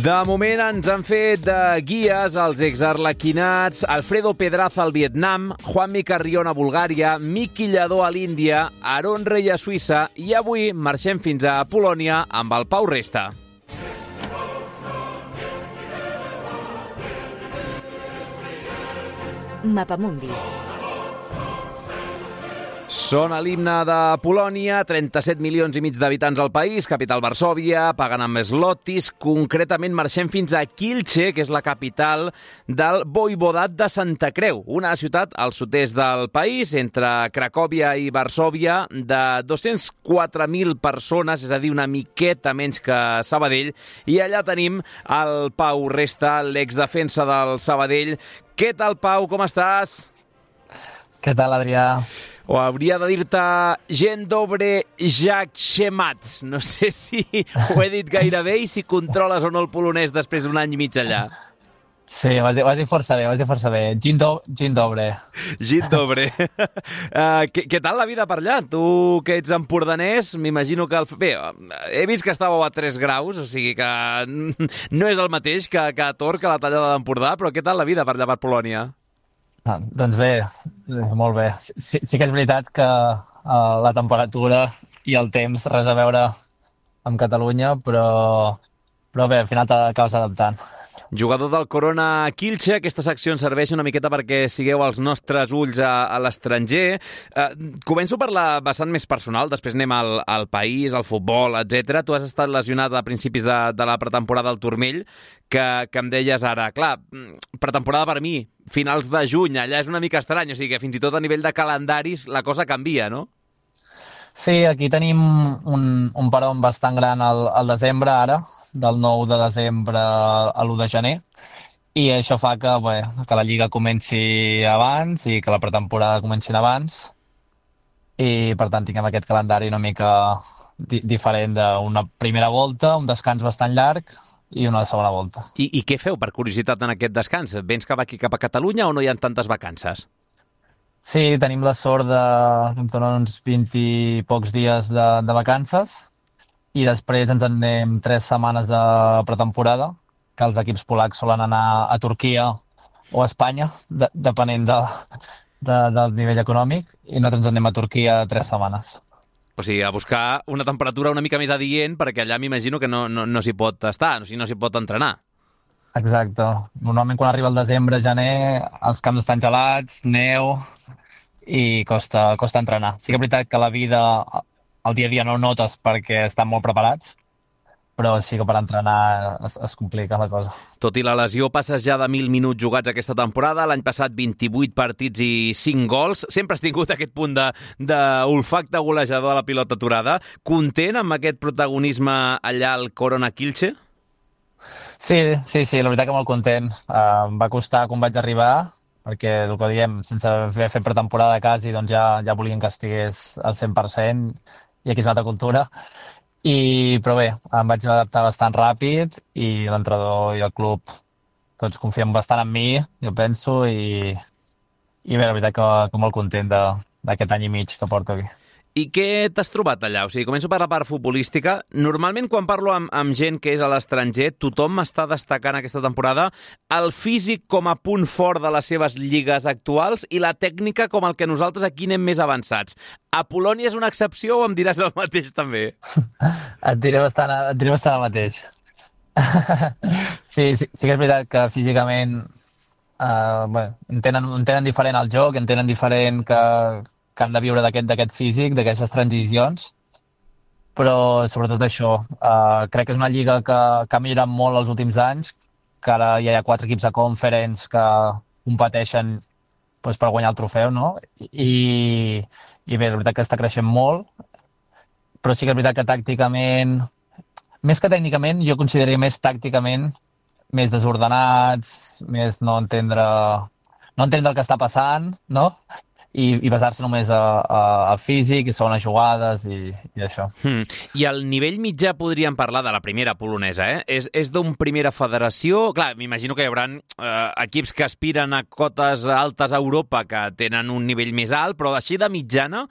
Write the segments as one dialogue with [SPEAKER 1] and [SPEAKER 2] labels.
[SPEAKER 1] De moment ens han fet de guies els exarlequinats Alfredo Pedraza al Vietnam, Juanmi Carrion a Bulgària, Miki Lladó a l'Índia, Aron Rey a Suïssa i avui marxem fins a Polònia amb el Pau Resta.
[SPEAKER 2] Mapamundi.
[SPEAKER 1] Són a l'himne de Polònia, 37 milions i mig d'habitants al país, capital Varsòvia, paguen amb zlotis. Concretament marxem fins a Kielce, que és la capital del Voivodat de Santa Creu, una ciutat al sud-est del país, entre Cracòvia i Varsòvia, de 204.000 persones, és a dir, una miqueta menys que Sabadell. I allà tenim el Pau Resta, l'exdefensa del Sabadell. Què tal, Pau? Com estàs?
[SPEAKER 3] Què tal, Adrià?
[SPEAKER 1] O hauria de dir-te Dzień dobry, Jak się masz. No sé si ho he dit gaire bé i si controles o no el polonès després d'un any i mig allà.
[SPEAKER 3] Sí, ho has dit força bé, Dzień dobry.
[SPEAKER 1] Dzień dobry. Què tal la vida per allà? Tu que ets empordanès, m'imagino que... Bé, he vist que estàveu a 3 graus, o sigui que no és el mateix que a Tor, que la tallada d'Empordà, però què tal la vida per allà per Polònia?
[SPEAKER 3] Doncs bé, molt bé. Sí que és veritat que la temperatura i el temps res a veure amb Catalunya, però bé, al final t'acabes adaptant.
[SPEAKER 1] Jugador del Corona Kielce, aquesta secció ens serveix una miqueta perquè sigueu els nostres ulls a l'estranger. Començo per la vessant més personal, després anem al país, al futbol, etc. Tu has estat lesionat a principis de la pretemporada al turmell, que em deies ara, clar, pretemporada per mi, finals de juny, allà és una mica estrany, o sigui que fins i tot a nivell de calendaris la cosa canvia, no?
[SPEAKER 3] Sí, aquí tenim un peron bastant gran al desembre ara, del 9 de desembre a l'1 de gener, i això fa que la Lliga comenci abans i que la pretemporada comenci abans, i per tant tinguem aquest calendari una mica diferent d'una primera volta, un descans bastant llarg, i una segona volta.
[SPEAKER 1] I què feu, per curiositat, en aquest descans? Vens cap aquí, cap a Catalunya, o no hi ha tantes vacances?
[SPEAKER 3] Sí, tenim la sort de ens donen uns 20 i pocs dies de vacances, i després ens en anem 3 setmanes de pretemporada, que els equips polacs solen anar a Turquia o a Espanya, depenent del nivell econòmic, i nosaltres ens anem a Turquia 3 setmanes.
[SPEAKER 1] O sigui, a buscar una temperatura una mica més adient, perquè allà m'imagino que no s'hi pot estar, o sigui, no s'hi pot entrenar.
[SPEAKER 3] Exacte. Normalment quan arriba el desembre, gener, els camps estan gelats, neu, i costa entrenar. Sí que és veritat que la vida, el dia a dia no ho notes perquè estan molt preparats, però sí que per entrenar es complica la cosa.
[SPEAKER 1] Tot i la lesió, passes ja de 1.000 minuts jugats aquesta temporada. L'any passat 28 partits i 5 gols. Sempre has tingut aquest punt d'olfacte golejador a la pilota aturada. Content amb aquest protagonisme allà al Corona Kielce?
[SPEAKER 3] Sí, la veritat que molt content. Em va costar quan vaig arribar, perquè el que diem, sense haver fet pretemporada quasi, doncs ja volien que estigués al 100%, i aquí és una altra cultura. Però bé, em vaig adaptar bastant ràpid, i l'entrenador i el club tots confien bastant en mi, jo penso, i bé, la veritat que molt content d'aquest any i mig que porto aquí.
[SPEAKER 1] I què t'has trobat allà? O sigui, començo per la part futbolística. Normalment, quan parlo amb gent que és a l'estranger, tothom està destacant aquesta temporada el físic com a punt fort de les seves lligues actuals i la tècnica com el que nosaltres aquí anem més avançats. A Polònia és una excepció o em diràs el mateix també?
[SPEAKER 3] Et diré bastant el mateix. Sí que és veritat que físicament entenen diferent el joc, entenen diferent que han de viure d'aquest físic, d'aquestes transicions, però sobretot això. Crec que és una lliga que ha millorat molt els últims anys, que ara ja hi ha 4 equips de Conference que competeixen per guanyar el trofeu, no? I bé, la veritat que està creixent molt, però sí que és veritat que tàcticament, més que tècnicament, jo consideraria més tàcticament, més desordenats, més no entendre el que està passant, no? I basar-se només al físic i segones jugades i això.
[SPEAKER 1] I al nivell mitjà podríem parlar de la primera polonesa, eh? És d'un primera federació... Clar, m'imagino que hi haurà equips que aspiren a cotes altes a Europa que tenen un nivell més alt, però així de mitjana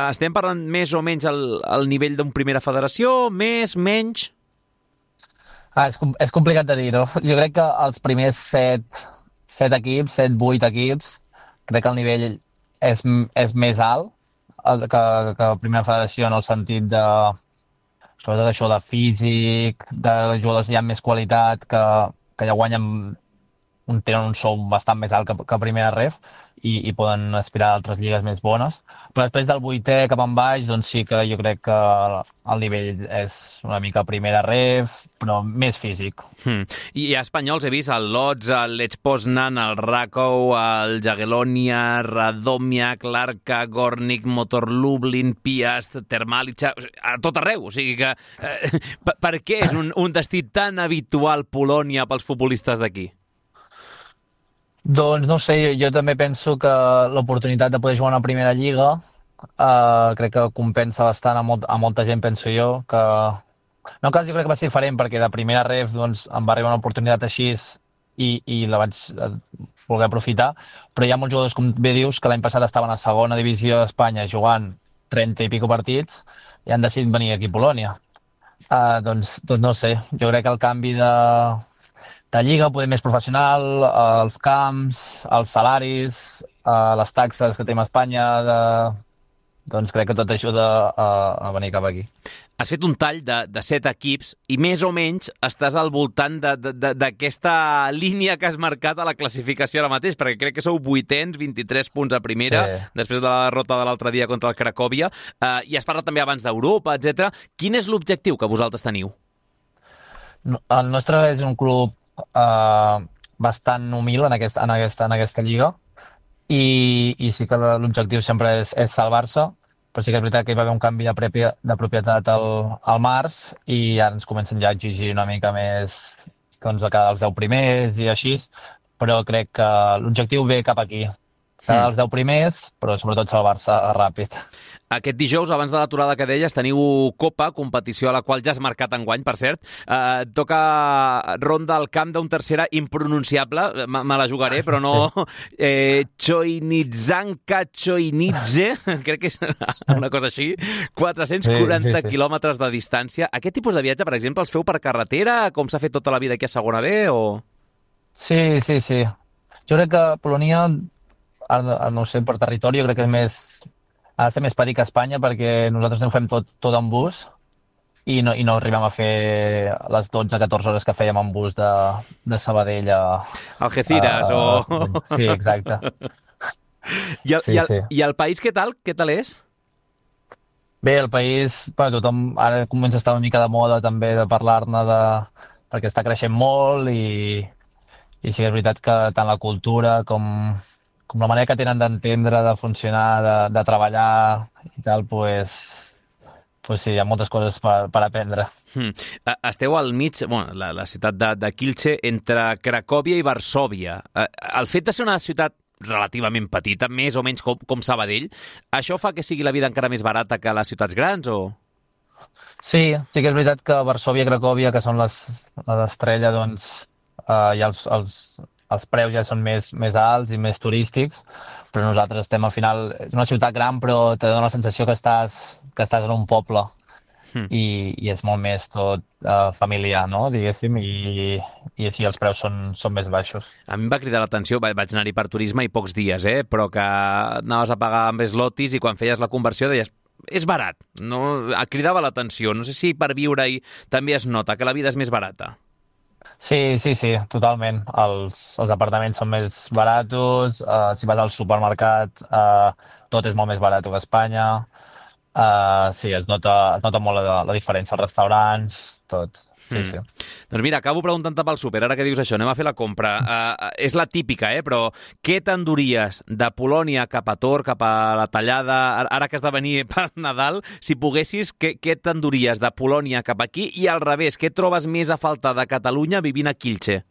[SPEAKER 1] estem parlant més o menys al nivell d'un primera federació, més, menys?
[SPEAKER 3] És complicat de dir, no? Jo crec que els primers set equips, 7, 8 equips, crec que el nivell és més alt que la primera federació en el sentit de, sobretot això de físic, de jugadors ja amb més qualitat, que ja tenen un sou bastant més alt que primera ref i poden aspirar a altres lligues més bones. Però després del 8è cap en baix, doncs sí que jo crec que el nivell és una mica primera ref, però més físic.
[SPEAKER 1] I a espanyols he vist el Lodz, el Lech Poznan, el Rakow, el Jagiellonia, Radomiak, l'Arka, Gornik, Motor Lublin, Piast, Termalica, a tot arreu. O sigui que per què és un destí tan habitual Polònia pels futbolistes d'aquí?
[SPEAKER 3] Doncs no sé, jo també penso que l'oportunitat de poder jugar a una primera lliga crec que compensa bastant a molta gent, penso jo, que en el cas jo crec que va ser diferent perquè de primera ref doncs, em va arribar una oportunitat així i la vaig voler aprofitar, però hi ha molts jugadors, com bé dius, que l'any passat estaven a segona divisió d'Espanya jugant 30 i pico partits i han decidit venir aquí a Polònia. Doncs no sé, jo crec que el canvi de lliga, poder més professional, els camps, els salaris, les taxes que tenim a Espanya, doncs crec que tot ajuda a venir cap aquí.
[SPEAKER 1] Has fet un tall de 7 equips i més o menys estàs al voltant d'aquesta línia que has marcat a la classificació ara mateix, perquè crec que sou 8ens, 23 punts a primera, sí, després de la derrota de l'altre dia contra el Cracòvia, i has parlat també abans d'Europa, etc. Quin és l'objectiu que vosaltres teniu?
[SPEAKER 3] El nostre és un club bastant humil en aquesta lliga i sí que l'objectiu sempre és salvar-se, però sí que és veritat que hi va haver un canvi de propietat al març i ara ens comencen ja a exigir una mica més doncs, de cada els 10 primers i així, però crec que l'objectiu ve cap aquí, cada els 10 primers, però sobretot salvar-se ràpid.
[SPEAKER 1] Aquest dijous, abans de l'aturada que deies, teniu Copa, competició a la qual ja has marcat enguany, per cert. Toca ronda al camp d'un tercera impronunciable, me la jugaré, però no... Chojniczanka Chojnice, crec que és una cosa així, 440 quilòmetres de distància. Aquest tipus de viatge, per exemple, els feu per carretera, com s'ha fet tota la vida aquí a segona B, o...?
[SPEAKER 3] Sí. Jo crec que Polònia, no sé, per territori, jo crec que és més... Ha de ser més petit que Espanya perquè nosaltres ho fem tot en bus i no arribem a fer les 12-14 hores que fèiem en bus de Sabadell a...
[SPEAKER 1] Algeciras o...
[SPEAKER 3] Sí, exacte.
[SPEAKER 1] I el país què tal? Què tal és?
[SPEAKER 3] Bé, el país, tothom ara comença a estar una mica de moda també de parlar-ne perquè està creixent molt i sí que és veritat que tant la cultura com la manera que tenen d'entendre, de funcionar, de treballar i tal, pues sí, hi ha moltes coses per aprendre.
[SPEAKER 1] Esteu al mig, la ciutat de Kielce, entre Cracòvia i Varsòvia. El fet de ser una ciutat relativament petita, més o menys com Sabadell, això fa que sigui la vida encara més barata que les ciutats grans, o...?
[SPEAKER 3] Sí que és veritat que Varsòvia i Cracòvia, que són l'estrella, doncs, i els preus ja són més alts i més turístics, però nosaltres estem al final... És una ciutat gran, però te dona la sensació que estàs en un poble i és molt més tot familiar, no? Diguéssim, i així els preus són més baixos.
[SPEAKER 1] A mi em va cridar l'atenció, vaig anar-hi per turisme i pocs dies, però que anaves a pagar amb slotis i quan feies la conversió deies és barat, no? Cridava l'atenció. No sé si per viure-hi també es nota que la vida és més barata.
[SPEAKER 3] Sí, totalment. Els apartaments són més baratos, si vas al supermercat tot és molt més barat que a Espanya. Sí, es nota molt la diferència, els restaurants, tot. Sí.
[SPEAKER 1] Doncs mira, acabo preguntant-te pel súper, ara que dius això, anem a fer la compra. És la típica, però què t'enduries de Polònia cap a Tor, cap a la Tallada, ara que has de venir per Nadal, si poguessis, què t'enduries de Polònia cap aquí i al revés, què trobes més a faltar de Catalunya vivint a Kielce?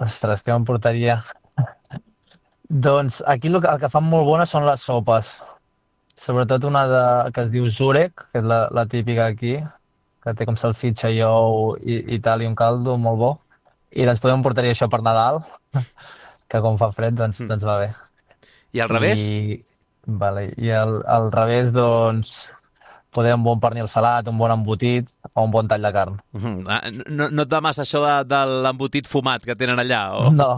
[SPEAKER 3] Ostres, què m'emportaria? Doncs aquí el que fan molt bones són les sopes. Sobretot una que es diu Zurek, que és la típica aquí, que té com salsitxa i ou i tal, i un caldo molt bo. I doncs podem portar això per Nadal, que com fa fred, doncs va bé.
[SPEAKER 1] I al revés?
[SPEAKER 3] I al revés, doncs, poder un bon pernil salat, un bon embotit o un bon tall de carn.
[SPEAKER 1] No et va massa això de l'embotit fumat que tenen allà? O...
[SPEAKER 3] No.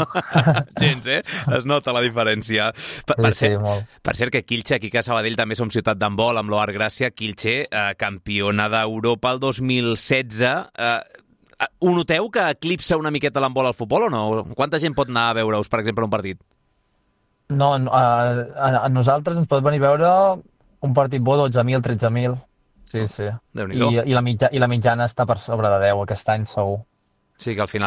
[SPEAKER 1] Gens, es nota la diferència.
[SPEAKER 3] Sí, molt.
[SPEAKER 1] Per cert, que Kielce, aquí a Sabadell també som ciutat d'handbol, amb l'Oar Gràcia, Kielce, campiona d'Europa el 2016. Ho noteu que eclipsa una miqueta l'handbol al futbol o no? Quanta gent pot anar a veure-us, per exemple, un partit?
[SPEAKER 3] No, a nosaltres ens pot venir a veure un partit bo 12.000, 13.000. Sí. I la mitjana està per sobre de 10 aquest any, segur.
[SPEAKER 1] Sí, que al final...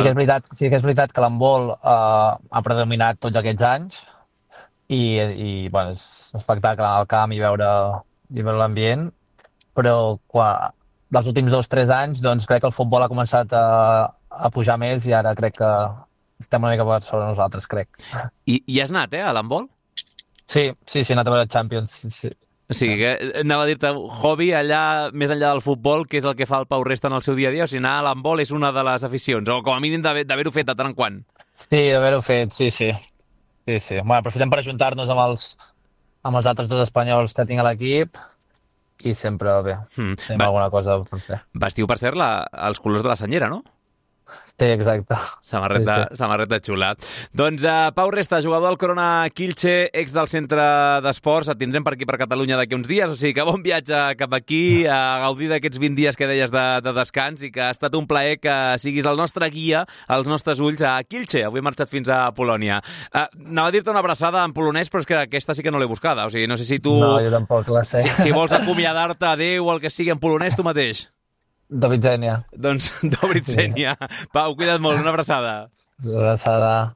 [SPEAKER 3] Sí que és veritat que l'handbol ha predominat tots aquests anys i bueno, és un espectacle anar al camp i veure l'ambient, però dels últims 2-3 anys doncs crec que el futbol ha començat a pujar més i ara crec que estem una mica per sobre nosaltres, crec.
[SPEAKER 1] I has anat, a l'handbol?
[SPEAKER 3] Sí, he anat a veure Champions, sí.
[SPEAKER 1] O sigui, que anava a dir-te, hobby allà, més enllà del futbol, que és el que fa el Pau Resta en el seu dia a dia, o sigui, anar a l'handbol és una de les aficions, o com a mínim d'haver-ho fet de tant en quant. Sí,
[SPEAKER 3] d'haver-ho fet, sí. Bueno, aprofitem per ajuntar-nos amb els altres dos espanyols que tinc a l'equip i sempre bé, tenim alguna cosa per fer.
[SPEAKER 1] Vestiu, per cert, els colors de la senyera, no?
[SPEAKER 3] Sí, exacte.
[SPEAKER 1] Samarreta xula. Doncs Pau Resta, jugador del Corona Kielce, ex del centre d'esports, et tindrem per aquí per Catalunya d'aquí uns dies, o sigui que bon viatge cap aquí, a gaudir d'aquests 20 dies que deies de descans i que ha estat un plaer que siguis el nostre guia, als nostres ulls a Kielce. Avui he marxat fins a Polònia. Anava a dir-te una abraçada en polonès, però és que aquesta sí que no l'he buscada, o sigui, no sé si tu...
[SPEAKER 3] No, jo tampoc la sé.
[SPEAKER 1] Si vols acomiadar-te, adéu, o el que sigui en polonès, tu mateix.
[SPEAKER 3] Do widzenia.
[SPEAKER 1] Doncs, do widzenia. Pau, cuida't molt, una abraçada.
[SPEAKER 3] Una abraçada.